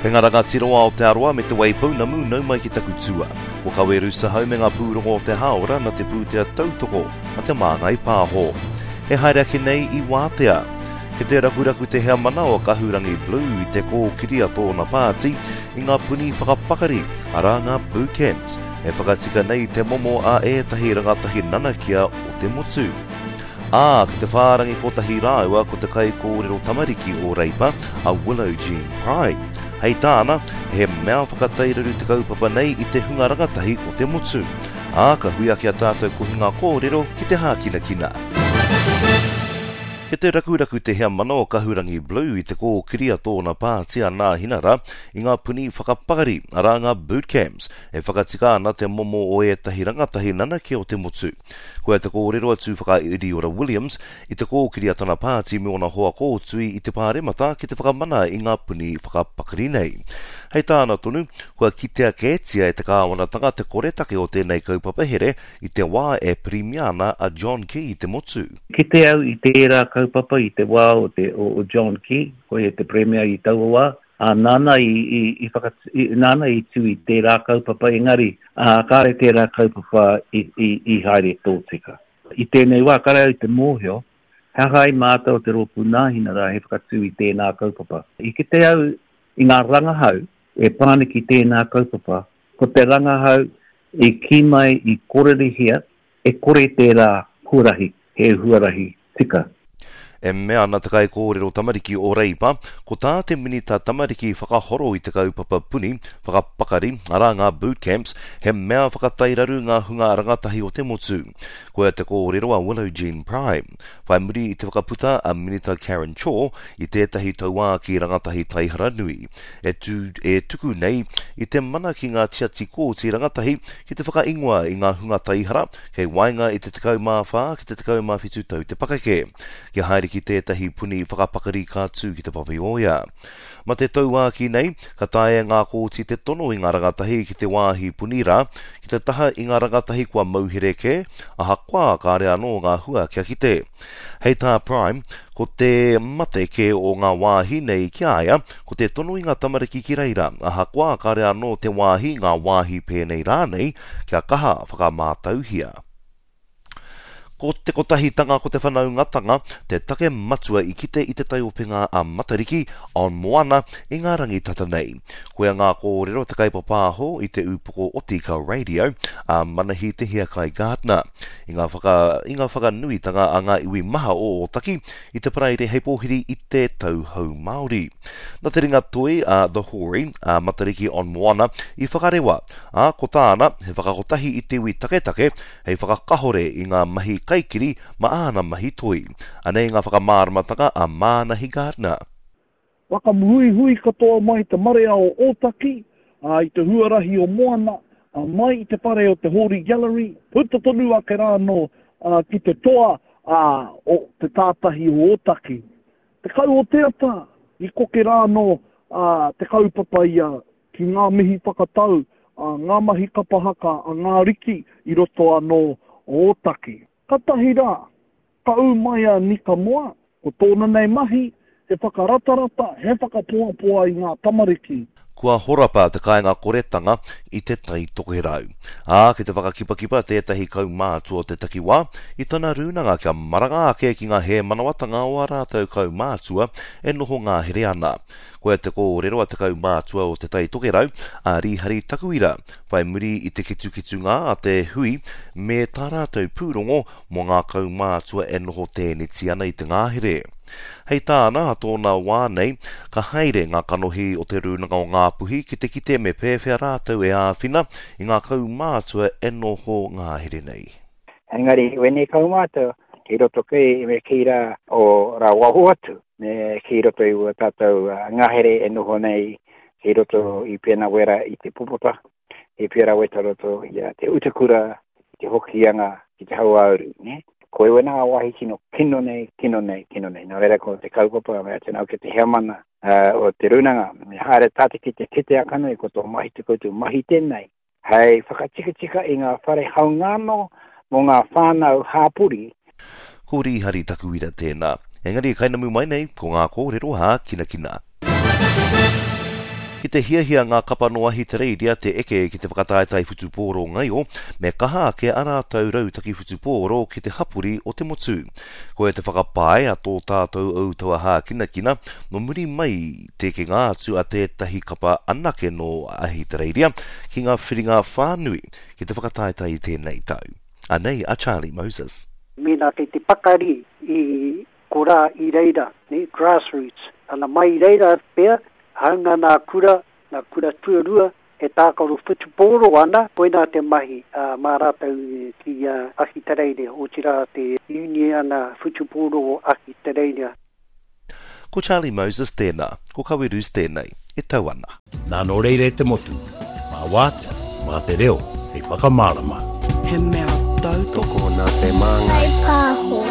Kei ngā rangatira o Aotearoa me Te Waipounamu nau mai ki taku tua. Ko Kawe Rusahau me ngā pūrongo o te hāora na te pūtea tautoko a Te Māngai Pāho. E haere ake nei i wātea. Kei te rakuraku te heamana o Kahurangi Blue i te kōkiri a tōna pāti i ngā puni whakapakari, arā ngā bootcamps, e whakatika nei te momo a ētahi rangatahi nanakia o te motu. Ā, ki te whārangi kotahi rāua ko te kaikōrero tamariki o Reipa, a Willow Jean Prime. Hei tāna, he mea whakatairaru te kaupapa nei i te hunga rangatahi o te motu. Ā, ka hui ake a tātou kohinga kōrero ki te hākinakina. Kei te rakuraku te heamana o Kahurangi Blue i te kōkiri a tōna pāti a Nāhinara i ngā puni whakapakari, arā ngā bootcamps, e whakatika ana te momo o ētahi rangatahi nanakia o te motu. Koia te kōrero a Tūwhakairiora Williams i te kōkiri a tana pāti me ōna hoa kōtui i te Pāremata ki te whakamana i ngā puni whakapakari nei. Hei tāna tonu, kua kitea kētia e te kāwanatanga te koretake o tēnei kaupapa here i te wā e Pirimia ana a John Key i te motu. Kite au i tērā kaupapa i te wā o te o John Key, koia te Premier i taua wā, Ā, nāna i, i, i whaka, i, nāna i tū i tērā kaupapa, engari, ā, kāre tērā kaupapa i, i, i haere tōtika. I tēnei wā, kāre au i te mōhio, he aha ai mātou o te Rōpū Nāhinara he whakatū i tēnā kaupapa. I kite au i ngā rangahau e pā ana ki tēnā kaupapa, ko te rangahau i kī mai, i kōrerihia, E kore tērā huarahi he huarahi tika. E mea ana te kaikōrero tamariki o Reipa, ko tā te Minita Tamariki whakahoro i te kaupapa puni, whakapakari, arā ngā boot camps, he mea whakatairaru ngā hunga rangatahi o te motu. Koia te kōrero a Willow Jean Prime, whai muri i te whakaputa a Minita Karen Chor i tētahi tauākī rangatahi taihara nui, e tū, e tuku nei i te mana ki ngā tiati kōti rangatahi ki te whakaingoa i ngā hunga taihara kei waenga i te 14 ki te 17 tau te pakeke, kia haere ki tētahi puni whakapakari ka tū ki Te Papaioea. Ma te tauākī nei, ka taea e ngā kōti te tono i ngā rangatahi ki te wāhi puni rā, ki te taha i ngā rangatahi kua mauhere kē, ahakoa kāre anō ngā hua kia kite. Hei tā Prime, ko te mate kē o ngā wāhi nei ki a ia, ko te tono i ngā tamariki ki reira, ahakoa kāre anō te wāhi, ngā wāhi pēnei rānei, kia kaha whakamātauhia. Ko te kotahitanga, ko te whanaungatanga, te take matua i kite i te taiopenga a Matariki, on Moana, i ngā rangi tata nei. Koia ngā kōrero te kaipapāho i te ūpoko o Tīkau Radio, a Manahi Te Hiakai Gardiner. I ngā whaka, i ngā whakanuitanga a ngā iwi maha o Ōtaki i te Paraire hei pōhiri i te Tau Hou Māori. Na te ringa toi a The Hori, a Matariki on Moana, i whakarewa, ā, ko tāna, he whakakotahi i te iwi taketake hei whakakahore i ngā mahi kaikiri ma āna mahi toi. Anei ngā whakamāramatanga a Mānahi Gardiner. Whakahuihui katoa mai te marea o Ōtaki, ā, i te huarahi o Moana, ā, mai i te whare o te Hōri Gallery, puta tonu ake rā anō, ā, ki te toa, ā, o te tātahi o Ōtaki. 10 o te ata, i koke rā anō, ā, te kaupapa ia ki ngā mihi whakatau, ā, ngā mahi kapa haka a ngā riki i roto anō o Ōtaki. Katahi rā, Ka ū mai a Nika Moa, ko tōna nei mahi, he whakaratarata, he whakapoapoa i ngā tamariki. Kua horapa te kāinga koretanga i Te Tai Tokerau. Ā, ki te whakakipakipa tētahi kaumātua o te takiwā i tana rūnanga kia maranga ake ki ngā hēmanawatanga o ā rātou kaumātua e noho ngahere ana. Koia te kōrero a te kaumātua o Te Tai Tokerau, a Rīhari Takuira, whai muri i te ketuketunga a te hui me tā rātou pūrongo mō ngā kaumātua e noho tēneti ana i te ngahere. Hei tāna, a tōna wā nei, ka haere ngā kanohi o Te Rūnanga o Ngāpuhi ki te kite me pēwhea rātou e āwhina i ngā kaumātua e noho ngahere nei. Engari, wēnei kaumātua, kei roto kei me kī rā o rā waho atu, me kei roto i ua tātou ngahere e noho nei, kei roto i pēnā wera i te popota, he pērā weta roto i a Te Utakura, i te Hokianga, ki te Hauāuru, nē? Ko ēnā ngā wāhi tino kino nei, kino nei, kino nei. Nō reira ko te kaupapa, me atu nau ki te heamana o te rūnanga, me haere tātou ki te kite akanui, ko tō mahi te koutou mahi tēnei, hei whakatikatika i ngā whare haungāno mō ngā whānau hāpori. Ko Rīhari Takuira tēnā. Engari e kainamu mai nei, ko ngā kōrero hākinakina. Ki Ki te hiahia ngā kapa nō Ahitereiria te eke ki te whakataetae whutupōro ngaio, me kaha ake a rātou rautaki whutupōro ki te hapori o te motu. Koia te whakapae a tō tātou ou taua hākinakina, nō muri mai te ekenga atu a tētahi kapa anake nō Ahitereiria ki ngā whiringa whānui ki te whakataetae i tēnei tau. Anei a Charlie Moses. Mēnā kei te pakari i korā i reira, nē, grassroots, ana mai i reira pea, hāunga nā kura, nā kura tuarua, e tākaro whutupōro ana, koinā te mahi mā rātou ki Ahitereiria, otirā te Uniana Whutupōro o Ahitereiria. Ko Charlie Moses tēnā, ko Kawerus tēnei, e tau ana. Nā nō reira e te motu, mā wātea, mā te reo hei whakamārama. He mea tautoko. Tokona te māngai. Whai pāho.